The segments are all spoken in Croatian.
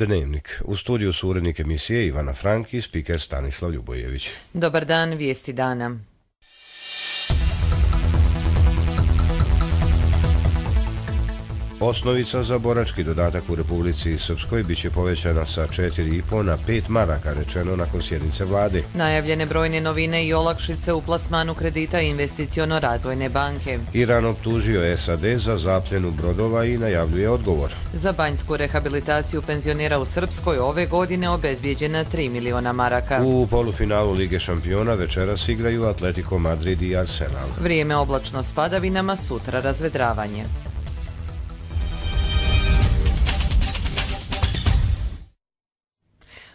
Dnevnik. U studiju su urednik emisije Ivana Frank i spiker Stanislav Ljubojević. Dobar dan, vijesti dana. Osnovica za borački dodatak u Republici Srpskoj biće povećana sa 4,5 na 5 maraka, rečeno nakon sjednice vlade. Najavljene brojne novine i olakšice u plasmanu kredita Investiciono-razvojne banke. Iran optužio SAD za zapljenu brodova i najavljuje odgovor. Za banjsku rehabilitaciju penzionera u Srpskoj ove godine obezbijeđena 3 miliona maraka. U polufinalu Lige šampiona večeras igraju Atletico Madrid i Arsenal. Vrijeme oblačno s padavinama, sutra razvedravanje.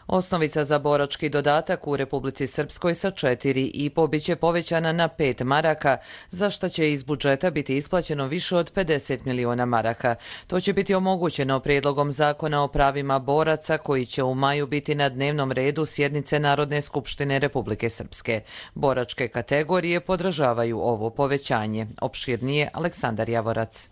Osnovica za borački dodatak u Republici Srpskoj sa 4,5 biće povećana na 5 maraka, za što će iz budžeta biti isplaćeno više od 50 miliona maraka. To će biti omogućeno prijedlogom zakona o pravima boraca koji će u maju biti na dnevnom redu sjednice Narodne skupštine Republike Srpske. Boračke kategorije podržavaju ovo povećanje. Opširnije Aleksandar Javorac.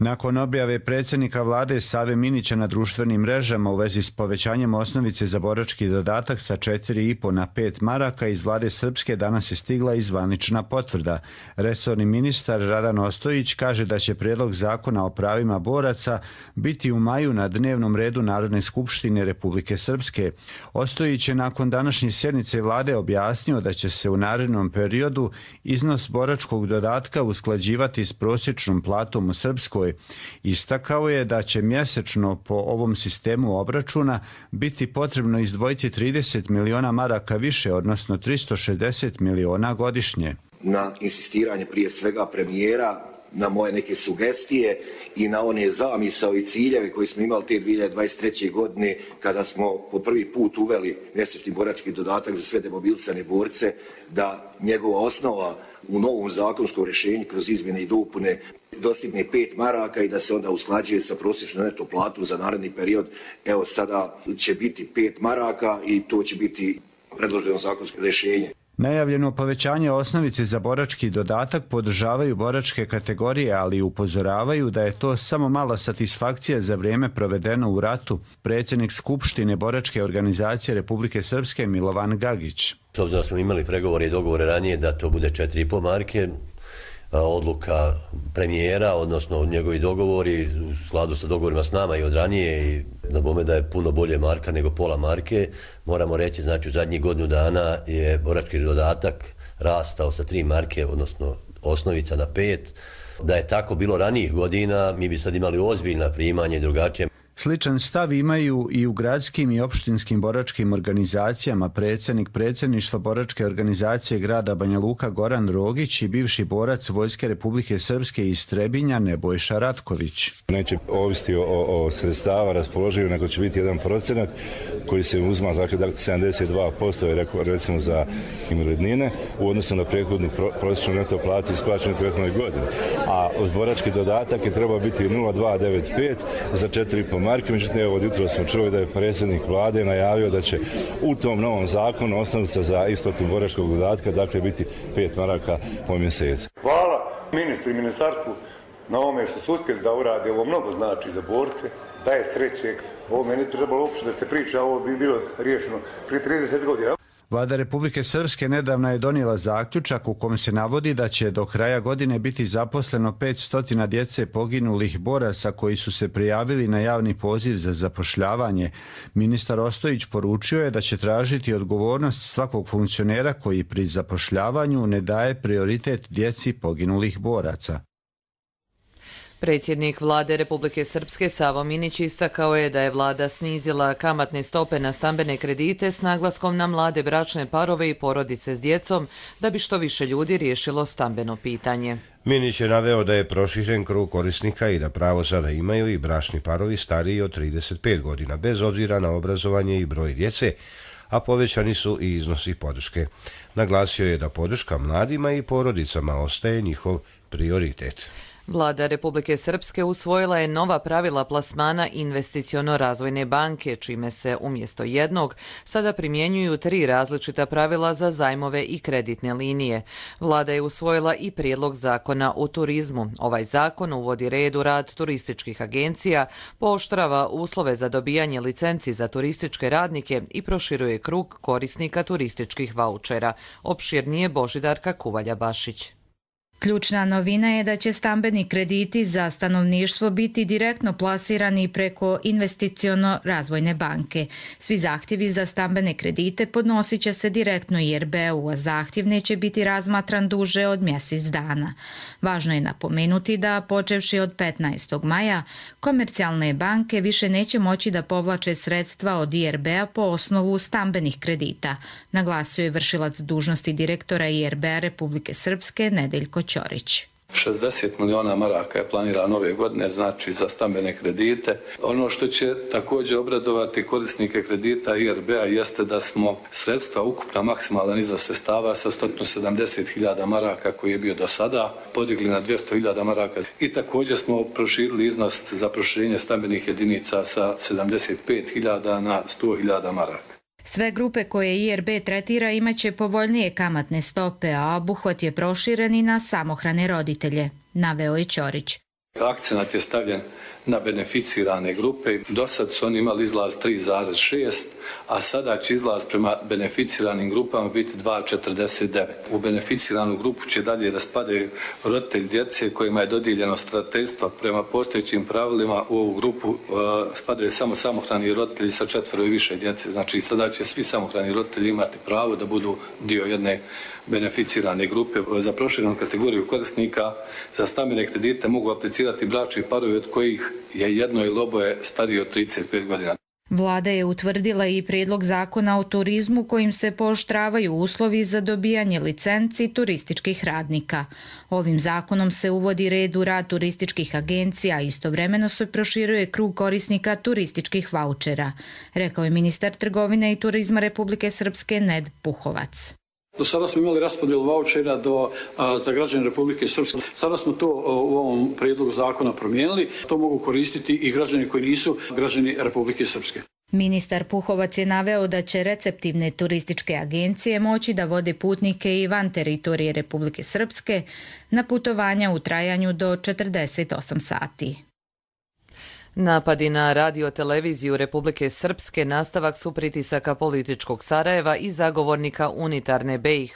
Nakon objave predsjednika vlade Save Minića na društvenim mrežama u vezi s povećanjem osnovice za borački dodatak sa 4,5 na 5 maraka iz vlade Srpske danas je stigla i zvanična potvrda. Resorni ministar Radan Ostojić kaže da će prijedlog zakona o pravima boraca biti u maju na dnevnom redu Narodne skupštine Republike Srpske. Ostojić je nakon današnje sjednice vlade objasnio da će se u narednom periodu iznos boračkog dodatka usklađivati s prosječnom platom u Srpskoj. Istakao je da će mjesečno po ovom sistemu obračuna biti potrebno izdvojiti 30 miliona maraka više, odnosno 360 miliona godišnje. Na insistiranje prije svega premijera, na moje neke sugestije i na one zamisao i ciljeve koje smo imali te 2023. godine kada smo po prvi put uveli mjesečni borački dodatak za sve demobilisane borce, da njegova osnova u novom zakonskom rješenju kroz izmjene i dopune dostigne 5 maraka i da se onda usklađuje sa prosječnom neto platom za naredni period. Evo sada će biti 5 maraka i to će biti predloženo zakonsko rješenje. Najavljeno povećanje osnovice za borački dodatak podržavaju boračke kategorije, ali upozoravaju da je to samo mala satisfakcija za vrijeme provedeno u ratu. Predsjednik Skupštine boračke organizacije Republike Srpske Milovan Gagić. S obzirom da smo imali pregovore i dogovore ranije da to bude 4,5 marke, odluka premijera, odnosno njegovi dogovori u skladu sa dogovorima s nama i od ranije i na bome da je puno bolje marka nego pola marke. Moramo reći, znači u zadnjih godinu dana je borački dodatak rastao sa 3 marke, odnosno osnovica na 5. Da je tako bilo ranijih godina, mi bi sad imali ozbiljna primanja i drugačije. Sličan stav imaju i u gradskim i opštinskim boračkim organizacijama predsjednik predsjedništva boračke organizacije grada Banja Luka Goran Rogić i bivši borac Vojske Republike Srpske iz Trebinja Nebojša Ratković. Neće ovisiti o sredstava raspoloživo, nego će biti 1% koji se uzma, dakle 72% je recimo za invalidnine u odnosu na prethodnu prosječnu neto platu isplaćenu prethodnoj godini. A borački dodatak je trebao biti 0,295 za 4,5 marke. Međutim, evo od jutra smo čuli da je predsjednik vlade najavio da će u tom novom zakonu osnovica za isplatu boračkog dodatka dakle biti 5 maraka po mjesecu. Hvala ministru i ministarstvu na ovome što su uspjeli da urade. Ovo mnogo znači za borce, daje sreće. Ovo meni trebalo uopće da se priča, ovo bi bilo riješeno prije 30 godina. Vlada Republike Srpske nedavno je donijela zaključak u kom se navodi da će do kraja godine biti zaposleno 500 djece poginulih boraca koji su se prijavili na javni poziv za zapošljavanje. Ministar Ostojić poručio je da će tražiti odgovornost svakog funkcionera koji pri zapošljavanju ne daje prioritet djeci poginulih boraca. Predsjednik vlade Republike Srpske Savo Minić istakao je da je vlada snizila kamatne stope na stambene kredite s naglaskom na mlade bračne parove i porodice s djecom da bi što više ljudi riješilo stambeno pitanje. Minić je naveo da je proširen krug korisnika i da pravo sada imaju i bračni parovi stariji od 35 godina, bez obzira na obrazovanje i broj djece, a povećani su i iznosi podrške. Naglasio je da podrška mladima i porodicama ostaje njihov prioritet. Vlada Republike Srpske usvojila je nova pravila plasmana Investiciono-razvojne banke, čime se umjesto jednog sada primjenjuju 3 različita pravila za zajmove i kreditne linije. Vlada je usvojila i prijedlog zakona o turizmu. Ovaj zakon uvodi red u rad turističkih agencija, pooštrava uslove za dobijanje licenci za turističke radnike i proširuje krug korisnika turističkih vaučera. Opširnije Božidarka Kuvalja-Bašić. Ključna novina je da će stambeni krediti za stanovništvo biti direktno plasirani preko Investiciono-razvojne banke. Svi zahtjevi za stambene kredite podnosit će se direktno IRB-u, a zahtjev neće biti razmatran duže od mjesec dana. Važno je napomenuti da, počevši od 15. maja, komercijalne banke više neće moći da povlače sredstva od IRB-a po osnovu stambenih kredita, naglasio je vršilac dužnosti direktora IRB-a Republike Srpske Nedeljko Ćorić. 60 miliona maraka je planirano ove godine, znači za stambene kredite. Ono što će također obradovati korisnike kredita IRB-a jeste da smo sredstva, ukupna maksimalan iznos sredstava sa 170.000 maraka koji je bio do sada, podigli na 200.000 maraka i također smo proširili iznos za proširenje stambenih jedinica sa 75.000 na 100.000 maraka. Sve grupe koje IRB tretira imaće povoljnije kamatne stope, a obuhvat je proširen i na samohrane roditelje, naveo je Ćorić. Akcenat je stavljen na beneficirane grupe. Do sad su oni imali izlaz 3,6, a sada će izlaz prema beneficiranim grupama biti 2,49. U beneficiranu grupu će dalje da spadaju roditelji djece kojima je dodijeljeno starateljstva prema postojećim pravilima. U ovu grupu spadaju samo samohrani roditelji sa 4 i više djece. Znači sada će svi samohrani roditelji imati pravo da budu dio jedne beneficirane grupe. Za proširenu kategoriju korisnika za stambene kredite mogu aplicirati bračni parovi od kojih je jedno ili oboje starije od 35 godina. Vlada je utvrdila i prijedlog zakona o turizmu kojim se pooštravaju uslovi za dobijanje licenci turističkih radnika. Ovim zakonom se uvodi red u rad turističkih agencija, a istovremeno se proširuje krug korisnika turističkih vaučera, rekao je ministar trgovine i turizma Republike Srpske Ned Puhovac. Do sada smo imali raspodjelu vaučera za građane Republike Srpske. Sada smo to u ovom prijedlogu zakona promijenili. To mogu koristiti i građani koji nisu građani Republike Srpske. Ministar Puhovac je naveo da će receptivne turističke agencije moći da vode putnike i van teritorije Republike Srpske na putovanja u trajanju do 48 sati. Napadi na radio-televiziju Republike Srpske nastavak su pritisaka političkog Sarajeva i zagovornika unitarne BiH,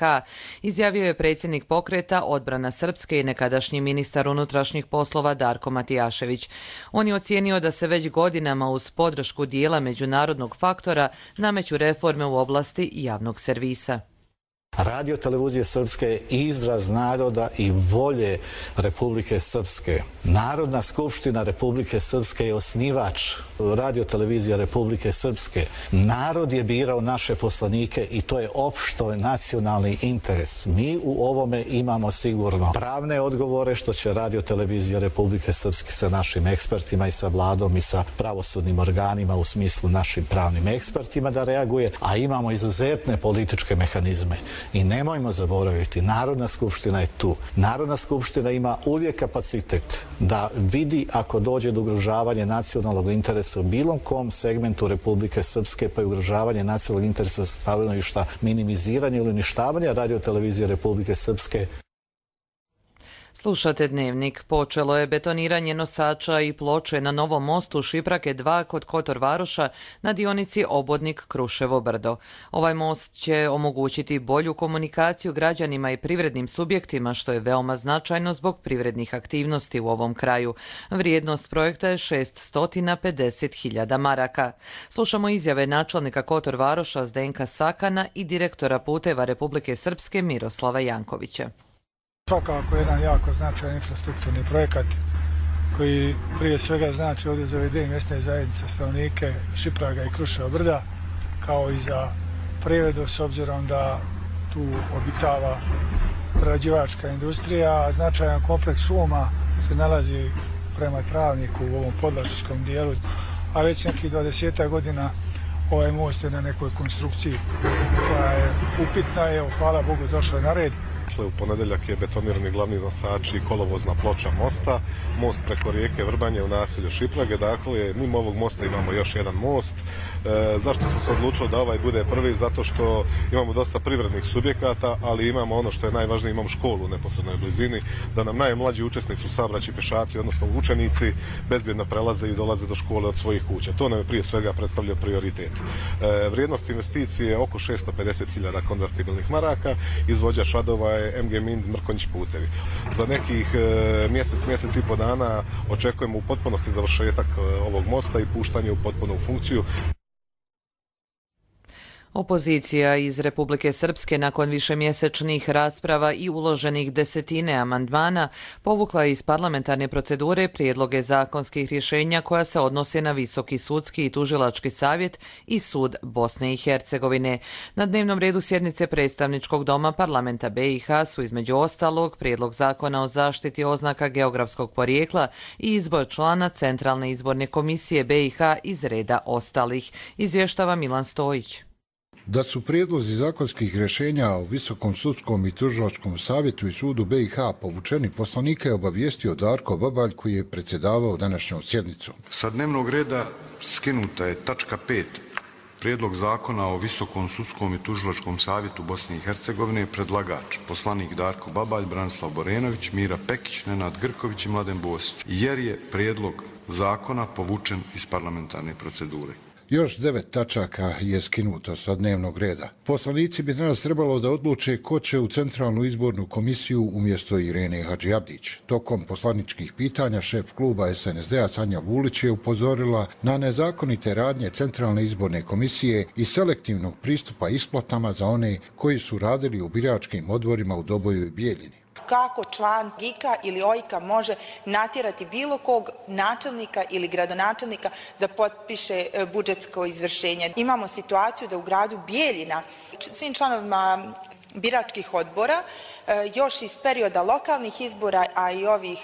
izjavio je predsjednik pokreta Odbrana Srpske i nekadašnji ministar unutrašnjih poslova Darko Matijašević. On je ocijenio da se već godinama uz podršku dijela međunarodnog faktora nameću reforme u oblasti javnog servisa. Radio televizija Srpske je izraz naroda i volje Republike Srpske. Narodna skupština Republike Srpske je osnivač radio televizija Republike Srpske. Narod je birao naše poslanike i to je opšto nacionalni interes. Mi u ovome imamo sigurno pravne odgovore što će radio televizija Republike Srpske sa našim ekspertima i sa vladom i sa pravosudnim organima u smislu našim pravnim ekspertima da reaguje, a imamo izuzetne političke mehanizme. I nemojmo zaboraviti, Narodna skupština je tu. Narodna skupština ima uvijek kapacitet da vidi ako dođe do ugrožavanja nacionalnog interesa u bilo kom segmentu Republike Srpske, pa i ugrožavanje nacionalnog interesa stanovišta, minimiziranje ili uništavanje radio televizije Republike Srpske. Slušate Dnevnik. Počelo je betoniranje nosača i ploče na novom mostu Šiprake 2 kod Kotor Varoša na dionici Obodnik-Kruševo brdo. Ovaj most će omogućiti bolju komunikaciju građanima i privrednim subjektima, što je veoma značajno zbog privrednih aktivnosti u ovom kraju. Vrijednost projekta je 650.000 maraka. Slušamo izjave načelnika Kotor Varoša Zdenka Sakana i direktora puteva Republike Srpske Miroslava Jankovića. Svakako jedan jako značajan infrastrukturni projekat koji prije svega znači ovdje za ove dvije mjesne zajednice stanovnike Šipraga i Kruševa brda, kao i za privredu s obzirom da tu obitava prerađivačka industrija, a značajan kompleks šuma se nalazi prema Travniku u ovom podlašičkom dijelu, a već nekih 20 godina ovaj most je na nekoj konstrukciji koja je upitna, evo hvala Bogu došla na red. dakle u ponedeljak je betonirani glavni nosač i kolovozna ploča mosta, most preko rijeke Vrbanje u naselju Šiprage, dakle mimo ovog mosta imamo još jedan most. Zašto smo se odlučili da ovaj bude prvi? Zato što imamo dosta privrednih subjekata, ali imamo ono što je najvažnije, imamo školu u neposrednoj blizini, da nam najmlađi učesnici u saobraćaju, pješaci, odnosno učenici, bezbjedno prelaze i dolaze do škole od svojih kuća. To nam je prije svega predstavlja prioritet. Vrijednost investicije je oko 650.000 konvertibilnih maraka, izvođač radova je MG Mind Mrkonjić putevi. Za nekih mjesec i po dana očekujemo u potpunosti završetak ovog mosta i puštanje u potpunu funkciju. Opozicija iz Republike Srpske nakon višemjesečnih rasprava i uloženih desetine amandmana povukla iz parlamentarne procedure prijedloge zakonskih rješenja koja se odnose na Visoki sudski i tužilački savjet i sud Bosne i Hercegovine. Na dnevnom redu sjednice predstavničkog doma parlamenta BiH su između ostalog prijedlog zakona o zaštiti oznaka geografskog porijekla i izbor člana Centralne izborne komisije BiH iz reda ostalih, izvještava Milan Stojić. Da su prijedlozi zakonskih rješenja o Visokom sudskom i tužilačkom savjetu i sudu BiH povučeni, poslanika je obavijestio Darko Babalj koji je predsjedavao današnjom sjednicom. Sa dnevnog reda skinuta je tačka 5. Prijedlog zakona o Visokom sudskom i tužilačkom savjetu Bosne i Hercegovine, predlagač poslanik Darko Babalj, Branislav Borenović, Mira Pekić, Nenad Grković i Mladen Bosić, jer je prijedlog zakona povučen iz parlamentarne procedure. Još 9 tačaka je skinuto sa dnevnog reda. Poslanici bi danas trebalo da odluče ko će u Centralnu izbornu komisiju umjesto Irene Hadžiabdić. Tokom poslaničkih pitanja šef kluba SNSD-a Sanja Vulić je upozorila na nezakonite radnje Centralne izborne komisije i selektivnog pristupa isplatama za one koji su radili u biračkim odborima u Doboju i Bijeljini. Kako član GIK-a ili OIK-a može natjerati bilo kog načelnika ili gradonačelnika da potpiše budžetsko izvršenje. Imamo situaciju da u gradu Bijeljina svim članovima biračkih odbora još iz perioda lokalnih izbora, a i ovih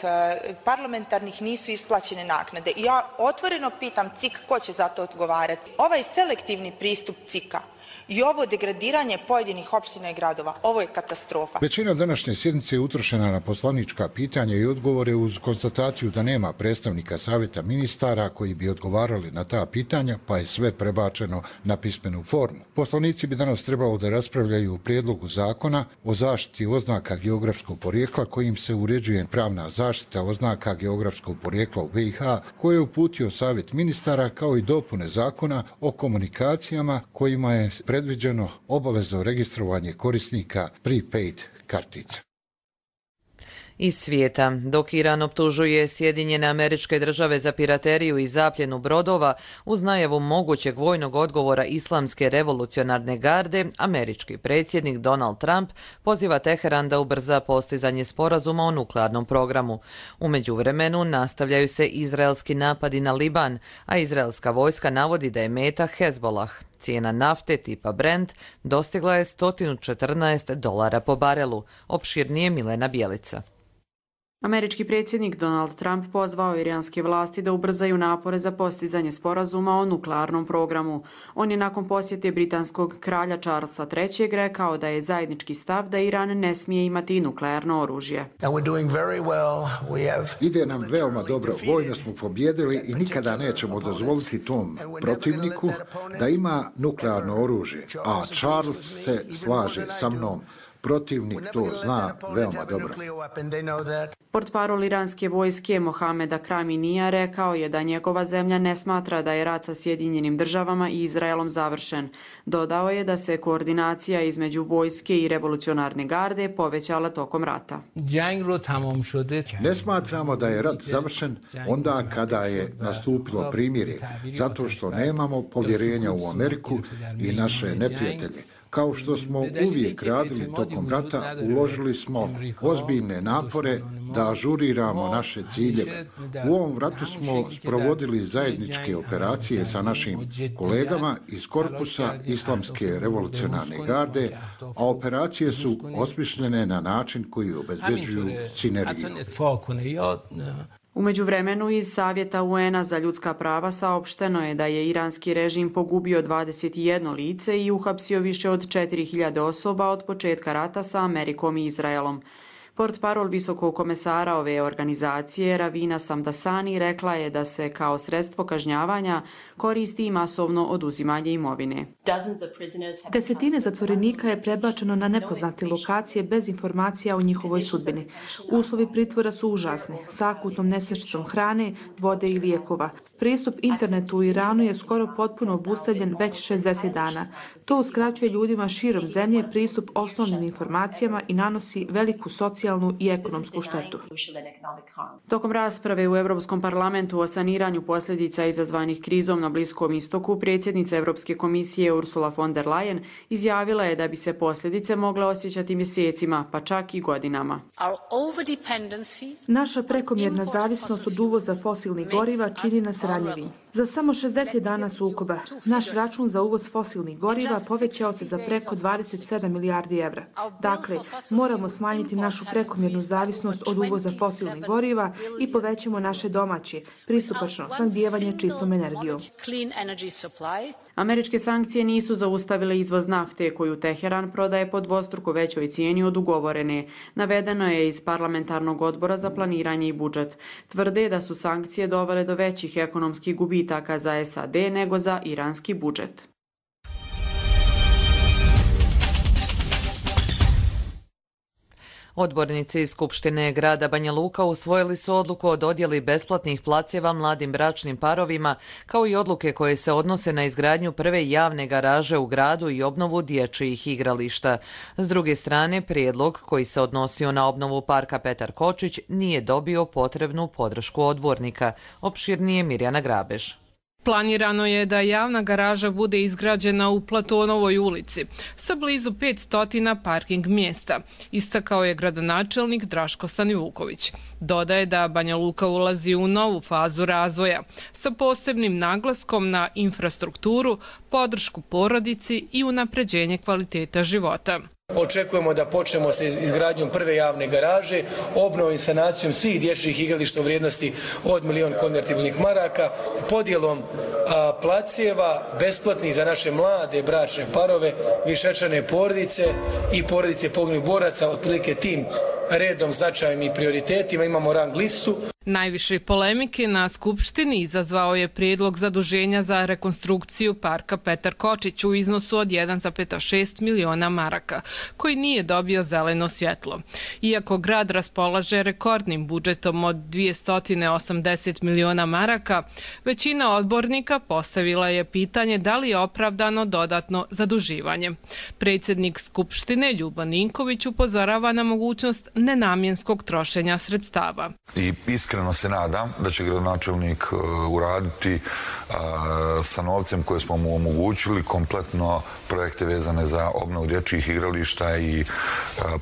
parlamentarnih nisu isplaćene naknade. I ja otvoreno pitam CIK ko će za to odgovarati. Ovaj selektivni pristup CIK-a i ovo degradiranje pojedinih opština i gradova, ovo je katastrofa. Većina današnje sjednice je utrošena na poslanička pitanja i odgovore uz konstataciju da nema predstavnika savjeta ministara koji bi odgovarali na ta pitanja, pa je sve prebačeno na pismenu formu. Poslanici bi danas trebalo da raspravljaju o prijedlogu zakona o zaštiti oznaka geografskog porijekla kojim se uređuje pravna zaštita oznaka geografskog porijekla u BiH koje je uputio savjet ministara kao i dopune zakona o komunikacijama kojima je predviđeno obavezno registrovanje korisnika prepaid kartica. Iz svijeta, dok Iran optužuje Sjedinjene Američke Države za pirateriju i zapljenu brodova, uz najavu mogućeg vojnog odgovora Islamske revolucionarne garde, američki predsjednik Donald Trump poziva Teheran da ubrza postizanje sporazuma o nuklearnom programu. U međuvremenu nastavljaju se izraelski napadi na Liban, a izraelska vojska navodi da je meta Hezbollah. Cijena nafte tipa Brent dostigla je $114 po barelu, opširnije Milena Bjelica. Američki predsjednik Donald Trump pozvao iranske vlasti da ubrzaju napore za postizanje sporazuma o nuklearnom programu. On je nakon posjete britanskog kralja Charlesa III. Rekao da je zajednički stav da Iran ne smije imati nuklearno oružje. Ide nam veoma dobro, vojno smo pobjedili i nikada nećemo dozvoliti tom protivniku da ima nuklearno oružje, a Charles se slaže sa mnom. Protivnik to zna veoma dobro. Portparol iranske vojske Mohameda Kraminija rekao je da njegova zemlja ne smatra da je rat sa Sjedinjenim Državama i Izraelom završen. Dodao je da se koordinacija između vojske i revolucionarne garde povećala tokom rata. Ne smatramo da je rat završen onda kada je nastupilo primirje, zato što nemamo povjerenja u Ameriku i naše neprijatelje. Kao što smo uvijek radili tokom rata, uložili smo ozbiljne napore da ažuriramo naše ciljeve. U ovom ratu smo sprovodili zajedničke operacije sa našim kolegama iz korpusa Islamske revolucionarne garde, a operacije su osmišljene na način koji obezbeđuju sinergiju. U međuvremenu iz Savjeta UN-a za ljudska prava saopšteno je da je iranski režim pogubio 21 lice i uhapsio više od 4000 osoba od početka rata sa Amerikom i Izraelom. Portparol visokog komesara ove organizacije, Ravina Samdasani, rekla je da se kao sredstvo kažnjavanja koristi i masovno oduzimanje imovine. Desetine zatvorenika je prebačeno na nepoznate lokacije bez informacija o njihovoj sudbini. Uslovi pritvora su užasni, sa akutnom nestašicom hrane, vode i lijekova. Pristup internetu u Iranu je skoro potpuno obustavljen već 60 dana. To uskraćuje ljudima širom zemlje pristup osnovnim informacijama i nanosi veliku socijalnu i ekonomsku štetu. Tokom rasprave u Europskom parlamentu o saniranju posljedica izazvanih krizom na Bliskom istoku, predsjednica Europske komisije Ursula von der Leyen izjavila je da bi se posljedice mogle osjećati mjesecima, pa čak i godinama. Naša prekomjerna zavisnost od uvoza fosilnih goriva čini nas ranjivim. Za samo 60 dana sukoba, naš račun za uvoz fosilnih goriva povećao se za preko 27 milijardi evra. Dakle, moramo smanjiti našu prekomjernu zavisnost od uvoza fosilnih goriva i povećamo naše domaće, pristupačno snabdijevanje čistom energijom. Američke sankcije nisu zaustavile izvoz nafte koju Teheran prodaje po dvostruko većoj cijeni od ugovorene. Navedeno je iz parlamentarnog odbora za planiranje i budžet. Tvrde da su sankcije dovele do većih ekonomskih gubitaka za SAD nego za iranski budžet. Odbornici iz Skupštine grada Banja Luka usvojili su odluku o dodjeli besplatnih placeva mladim bračnim parovima, kao i odluke koje se odnose na izgradnju prve javne garaže u gradu i obnovu dječjih igrališta. S druge strane, prijedlog koji se odnosio na obnovu parka Petar Kočić nije dobio potrebnu podršku odbornika. Opširnije Mirjana Grabež. Planirano je da javna garaža bude izgrađena u Platonovoj ulici sa blizu 500 parking mjesta, istakao je gradonačelnik Draško Stanivuković. Dodaje da Banja Luka ulazi u novu fazu razvoja sa posebnim naglaskom na infrastrukturu, podršku porodici i unapređenje kvaliteta života. Očekujemo da počnemo sa izgradnjom prve javne garaže, obnovom i sanacijom svih dječjih igrališta u vrijednosti od 1.000.000 konvertibilnih maraka, podjelom placeva besplatnih za naše mlade bračne parove, višečlane porodice i porodice poginulih boraca, otprilike tim redom, značajem i prioritetima. Imamo rang listu. Najviše polemike na Skupštini izazvao je prijedlog zaduženja za rekonstrukciju parka Petar Kočić u iznosu od 1,6 miliona maraka, koji nije dobio zeleno svjetlo. Iako grad raspolaže rekordnim budžetom od 280 miliona maraka, većina odbornika postavila je pitanje da li je opravdano dodatno zaduživanje. Predsjednik Skupštine Ljubo Ninković upozorava na mogućnost nenamjenskog trošenja sredstava. I iskreno se nadam da će gradonačelnik uraditi sa novcem koje smo mu omogućili kompletno projekte vezane za obnovu dječjih igrališta i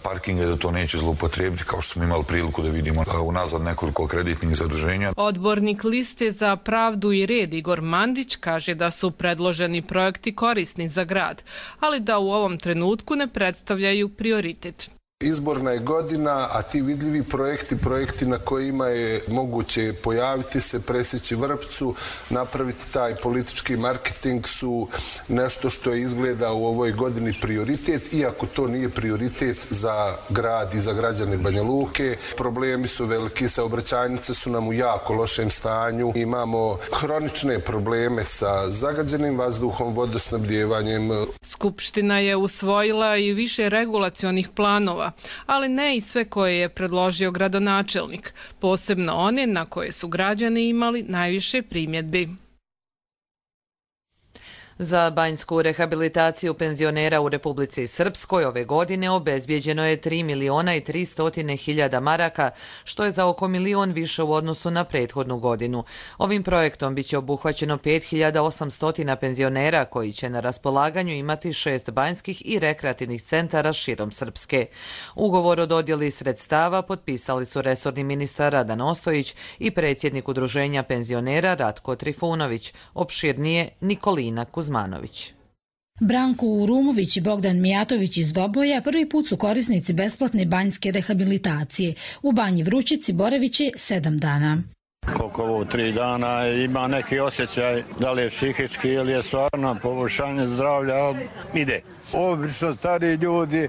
parkinga, da to neće zloupotrijebiti, kao što smo imali priliku da vidimo unazad nekoliko kreditnih zaduženja. Odbornik Liste za pravdu i red Igor Mandić kaže da su predloženi projekti korisni za grad, ali da u ovom trenutku ne predstavljaju prioritet. Izborna je godina, a ti vidljivi projekti na kojima je moguće pojaviti se, presjeći vrpcu, napraviti taj politički marketing su nešto što je izgleda u ovoj godini prioritet, iako to nije prioritet za grad i za građane Banja Luke. Problemi su veliki, saobraćajnice su nam u jako lošem stanju. Imamo hronične probleme sa zagađenim vazduhom, vodosnabdjevanjem. Skupština je usvojila i više regulacionih planova, ali ne i sve koje je predložio gradonačelnik, posebno one na koje su građani imali najviše primjedbi. Za banjsku rehabilitaciju penzionera u Republici Srpskoj ove godine obezbijeđeno je 3.300.000 maraka, što je za oko 1.000.000 više u odnosu na prethodnu godinu. Ovim projektom biće obuhvaćeno 5.800 penzionera koji će na raspolaganju imati 6 banjskih i rekreativnih centara širom Srpske. Ugovor o dodjeli sredstava potpisali su resorni ministar Radan Ostojić i predsjednik Udruženja penzionera Ratko Trifunović, opširnije Nikolina Kuzmanović. Branko Urumović i Bogdan Mijatović iz Doboja prvi put su korisnici besplatne banjske rehabilitacije. U banji Vrućici boravit će 7 dana. čovjek ovo 3 dana ima neki osjećaj da li je psihički ili je stvarno poboljšanje zdravlja, ide. Obično stari ljudi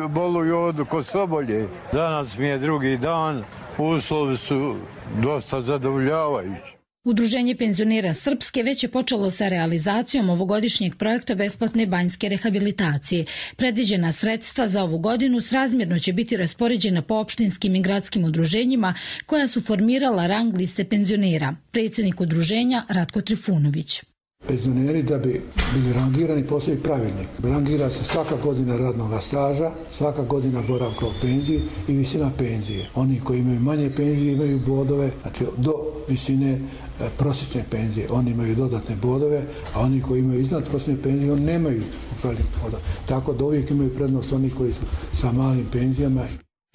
boluju od kosobolje. Danas mi je drugi dan, uslovi su dosta zadovoljavajući. Udruženje penzionera Srpske već je počelo sa realizacijom ovogodišnjeg projekta besplatne banjske rehabilitacije. Predviđena sredstva za ovu godinu srazmjerno će biti raspoređena po opštinskim i gradskim udruženjima koja su formirala rang liste penzionera. Predsjednik udruženja Ratko Trifunović. Penzioneri da bi bili rangirani postoji pravilnik. Rangira se svaka godina radnog staža, svaka godina boravka u penziji i visina penzije. Oni koji imaju manje penzije imaju bodove, znači do visine prosječne penzije. Oni imaju dodatne bodove, a oni koji imaju iznad prosječne penzije, oni nemaju upravljeni bodove. Tako da uvijek imaju prednost oni koji su sa malim penzijama.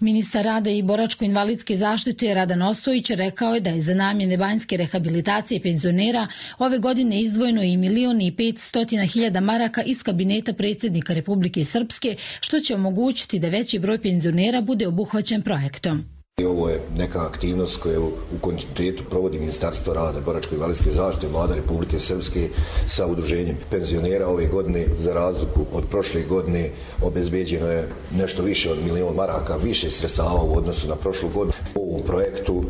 Ministar rada i boračko-invalidske zaštite Radan Ostojić rekao je da je za namjene banjske rehabilitacije penzionera ove godine izdvojeno i 1.500.000 maraka iz kabineta predsjednika Republike Srpske, što će omogućiti da veći broj penzionera bude obuhvaćen projektom. Ovo je neka aktivnost koju u kontinuitetu provodi Ministarstvo rada, boračko-invalidske zaštite, Vlada Republike Srpske sa udruženjem penzionera. Ove godine, za razliku od prošle godine, obezbeđeno je nešto više od 1.000.000 maraka, više sredstava u odnosu na prošlu godinu. U ovom projektu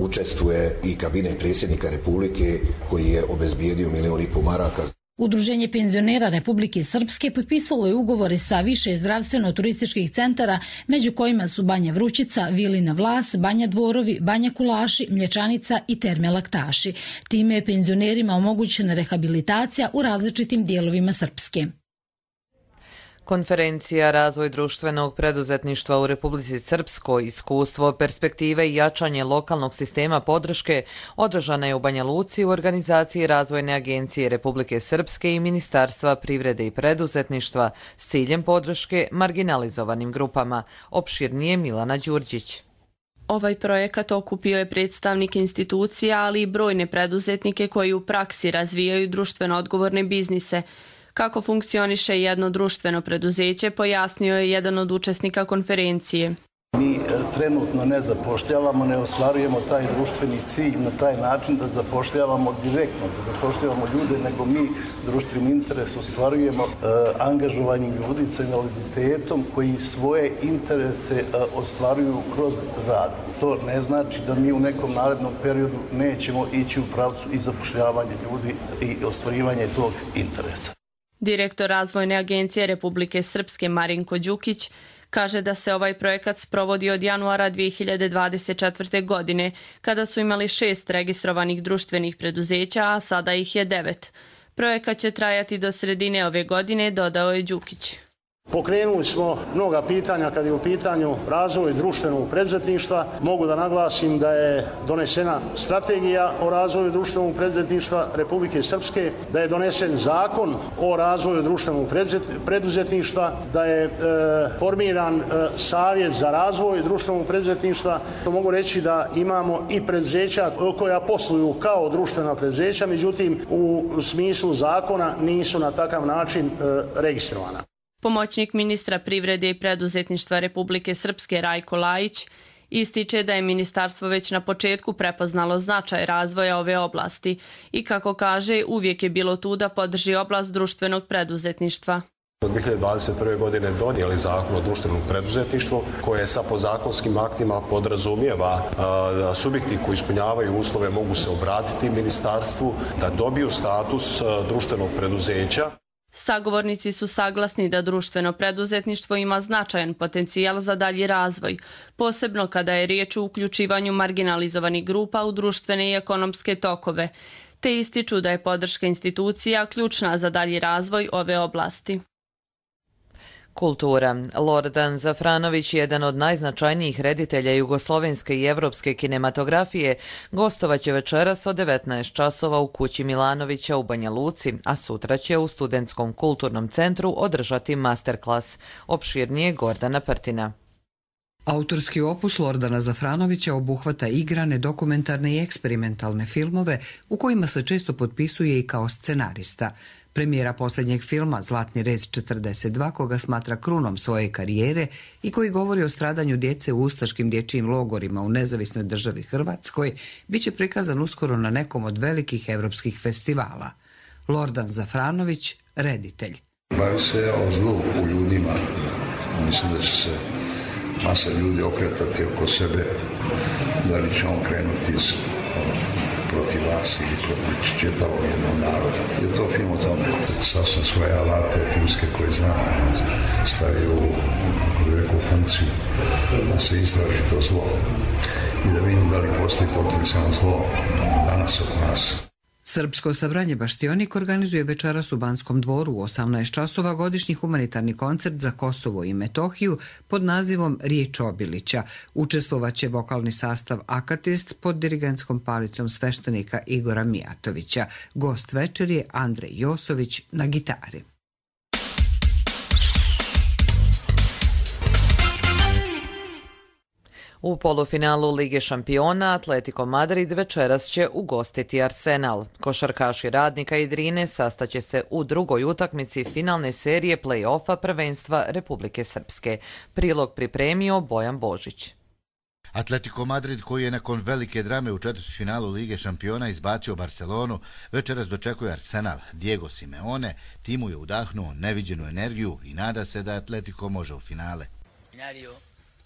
učestvuje i kabinet predsjednika Republike koji je obezbijedio 1.500.000 maraka. Udruženje penzionera Republike Srpske potpisalo je ugovore sa više zdravstveno-turističkih centara, među kojima su Banja Vrućica, Vilina Vlas, Banja Dvorovi, Banja Kulaši, Mlječanica i Terme Laktaši. Time je penzionerima omogućena rehabilitacija u različitim dijelovima Srpske. Konferencija Razvoj društvenog preduzetništva u Republici Srpskoj, iskustvo, perspektive i jačanje lokalnog sistema podrške održana je u Banja Luci u organizaciji Razvojne agencije Republike Srpske i Ministarstva privrede i preduzetništva s ciljem podrške marginalizovanim grupama. Opširnije Milana Đurđić. Ovaj projekat okupio je predstavnike institucija, ali i brojne preduzetnike koji u praksi razvijaju društveno odgovorne biznise. Kako funkcioniše jedno društveno preduzeće, pojasnio je jedan od učesnika konferencije. Mi trenutno ne zapošljavamo, ne ostvarujemo taj društveni cilj na taj način da zapošljavamo direktno, da zapošljavamo ljude, nego mi društveni interes ostvarujemo angažovanjem ljudi sa invaliditetom koji svoje interese ostvaruju kroz zadrugu. To ne znači da mi u nekom narednom periodu nećemo ići u pravcu i zapošljavanja ljudi i ostvarivanje tog interesa. Direktor Razvojne agencije Republike Srpske Marinko Đukić kaže da se ovaj projekat sprovodi od januara 2024. godine, kada su imali 6 registrovanih društvenih preduzeća, a sada ih je 9. Projekat će trajati do sredine ove godine, dodao je Đukić. Pokrenuli smo mnoga pitanja kad je u pitanju razvoj društvenog preduzetništva. Mogu da naglasim da je donesena strategija o razvoju društvenog preduzetništva Republike Srpske, da je donesen zakon o razvoju društvenog preduzetništva, da je formiran savjet za razvoj društvenog preduzetništva. Mogu reći da imamo i preduzeća koja posluju kao društvena preduzeća, međutim u smislu zakona nisu na takav način registrovana. Pomoćnik ministra privrede i preduzetništva Republike Srpske Rajko Lajić ističe da je ministarstvo već na početku prepoznalo značaj razvoja ove oblasti i, kako kaže, uvijek je bilo tu da podrži oblast društvenog preduzetništva. Od 2021. godine donijeli zakon o društvenom preduzetništvu koje sa podzakonskim aktima podrazumijeva da subjekti koji ispunjavaju uslove mogu se obratiti ministarstvu da dobiju status društvenog preduzeća. Sagovornici su saglasni da društveno preduzetništvo ima značajan potencijal za dalji razvoj, posebno kada je riječ o uključivanju marginalizovanih grupa u društvene i ekonomske tokove, te ističu da je podrška institucija ključna za dalji razvoj ove oblasti. Kultura. Lordan Zafranović, jedan od najznačajnijih reditelja jugoslovenske i evropske kinematografije, gostovaće večeras od 19 časova u kući Milanovića u Banja Luci, a sutra će u Studentskom kulturnom centru održati masterklas. Opširnije Gordana Prtina. Autorski opus Lordana Zafranovića obuhvata igrane, dokumentarne i eksperimentalne filmove u kojima se često potpisuje i kao scenarista. Premijera posljednjeg filma Zlatni rez 42, koga smatra krunom svoje karijere i koji govori o stradanju djece u ustaškim dječjim logorima u nezavisnoj državi Hrvatskoj, bit će prikazan uskoro na nekom od velikih evropskih festivala. Lordan Zafranović, reditelj. Bavi se o zlu u ljudima. Mislim da će se masa ljudi okretati oko sebe, da li će on krenuti protiv vas ili protiv čitavog jednog naroda. Je to film o tome. Sad sam svoje alate filmske koje znam stavio u veku funkciju da se istraži to zlo i da vidim da li postoji potencijalno zlo danas oko nas. Srpsko sabranje Baštionik organizuje večeras u Banskom dvoru u 18 časova godišnji humanitarni koncert za Kosovo i Metohiju pod nazivom Riječ Obilića. Učestvovaće vokalni sastav Akatist pod dirigentskom palicom sveštenika Igora Mijatovića. Gost večer je Andrej Josović na gitari. U polufinalu Lige šampiona Atletico Madrid večeras će ugostiti Arsenal. Košarkaši Radnika i Drine sastaće se u drugoj utakmici finalne serije play-offa prvenstva Republike Srpske. Prilog pripremio Bojan Božić. Atletico Madrid, koji je nakon velike drame u četvrtfinalu Lige šampiona izbacio Barcelonu, večeras dočekuje Arsenal. Diego Simeone timu je udahnuo neviđenu energiju i nada se da Atletico može u finale.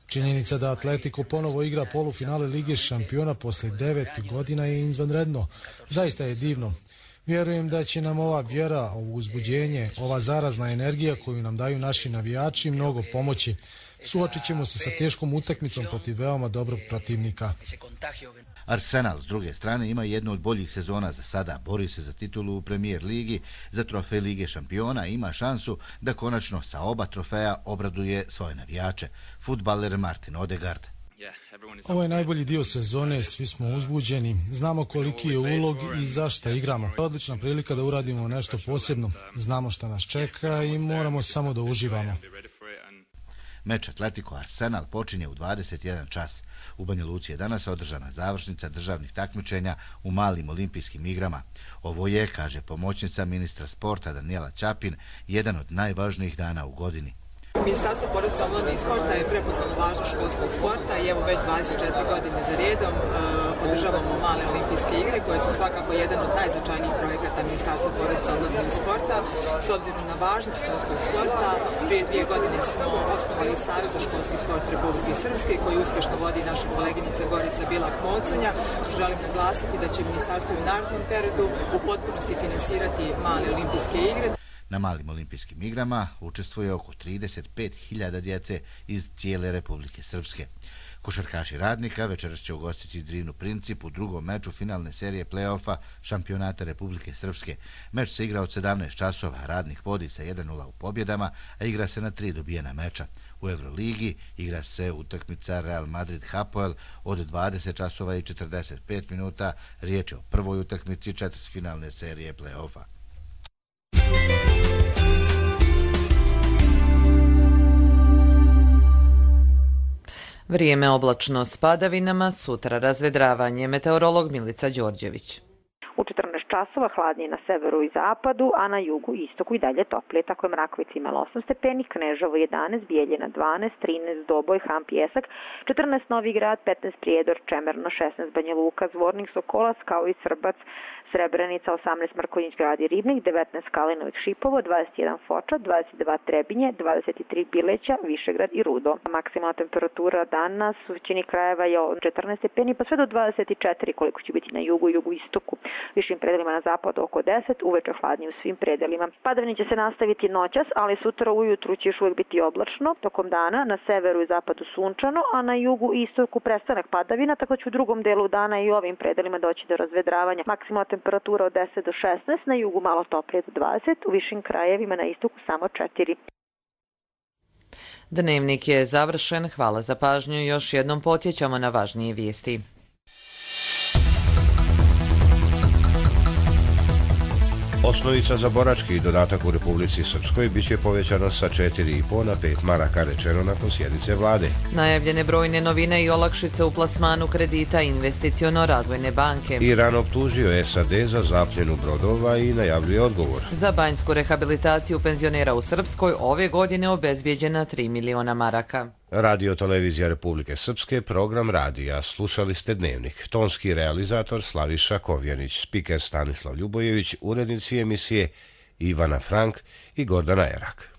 Činjenica da Atletico ponovo igra polufinale Lige šampiona posle 9 godina je izvanredno. Zaista je divno. Vjerujem da će nam ova vjera, ovo uzbuđenje, ova zarazna energija koju nam daju naši navijači mnogo pomoći. Suočit ćemo se sa teškom utakmicom protiv veoma dobrog protivnika. Arsenal, s druge strane, ima jednu od boljih sezona za sada. Bori se za titulu u Premier ligi, za trofej Lige šampiona i ima šansu da konačno sa oba trofeja obraduje svoje navijače. Fudbaler Martin Odegaard. Ovo je najbolji dio sezone, svi smo uzbuđeni, znamo koliki je ulog i zašto igramo. Odlična prilika da uradimo nešto posebno, znamo šta nas čeka i moramo samo da uživamo. Meč Atletico Arsenal počinje u 21 čas. U Banja Luci je danas održana završnica državnih takmičenja u malim olimpijskim igrama. Ovo je, kaže pomoćnica ministra sporta Danijela Ćapin, jedan od najvažnijih dana u godini. Ministarstvo porodice, omladine i sporta je prepoznalo važnost školskog sporta i evo već 24 godine za redom podržavamo male olimpijske igre koje su svakako jedan od najznačajnijih projekata Ministarstva porodice, omladine i sporta. S obzirom na važnost školskog sporta, prije 2 godine smo osnovali Savez za školski sport Republike Srpske koji uspješno vodi naša koleginica Gorica Bilak-Moconja. Želim naglasiti da će ministarstvo u narednom periodu u potpunosti finansirati male olimpijske igre. Na malim olimpijskim igrama učestvuje oko 35.000 djece iz cijele Republike Srpske. Košarkaši Radnika večeras će ugostiti Drinu Princip u drugom meču finalne serije play-offa šampionata Republike Srpske. Meč se igra od 17 časova, Radnik vodi sa 1-0 u pobjedama, a igra se na 3 dobijena meča. U Euroligi igra se utakmica Real Madrid-Hapoel od 20 časova i 45 minuta. Riječ je o prvoj utakmici četvrtfinalne serije play-offa. Vrijeme oblačno s padavinama, sutra razvedravanje. Meteorolog Milica Đorđević. U 14 časova hladnije na severu i zapadu, a na jugu i istoku i dalje toplije. Tako je Mrakovica imala 8 stepeni, Kneževo 11, Bijeljina 12, 13, Doboj, Ham, Pjesak, 14 Novi Grad, 15 Prijedor, Čemerno, 16 Banja Luka, Zvornik, Sokolac, kao i Srbac, Srebrenica, 18 Mrkonjić Grad i Ribnik, 19 Kalinovik Šipovo, 21 Foča, 22 Trebinje, 23 Bileća, Višegrad i Rudo. Maksimalna temperatura danas u većini krajeva je od 14 stepeni pa sve do 24 koliko će biti na jugu i jugoistoku. Višim predelima na zapadu oko 10, uveče hladnije u svim predelima. Padavine će se nastaviti noćas, ali sutra ujutru će još uvijek biti oblačno. Tokom dana na severu i zapadu sunčano, a na jugu i istoku prestanak padavina, tako će u drugom delu dana i ovim predelima doći do razvedravanja. Maksimalna temperatura od 10 do 16, na jugu malo toplije do 20, u višim krajevima na istoku samo 4. Dnevnik je završen. Hvala za pažnju. Još jednom podsjećamo na važnije vijesti. Osnovica za borački dodatak u Republici Srpskoj biće povećana sa 4,5 na 5 maraka, rečeno nakon sjednice vlade. Najavljene brojne novine i olakšice u plasmanu kredita Investiciono-razvojne banke. Iran optužio SAD za zapljenu brodova i najavljuje odgovor. Za banjsku rehabilitaciju penzionera u Srpskoj ove godine obezbijeđena 3 miliona maraka. Radio Televizija Republike Srpske, program radija. Slušali ste Dnevnik. Tonski realizator Slaviša Kovjanić, spiker Stanislav Ljubojević, urednici emisije Ivana Frank i Gordana Erak.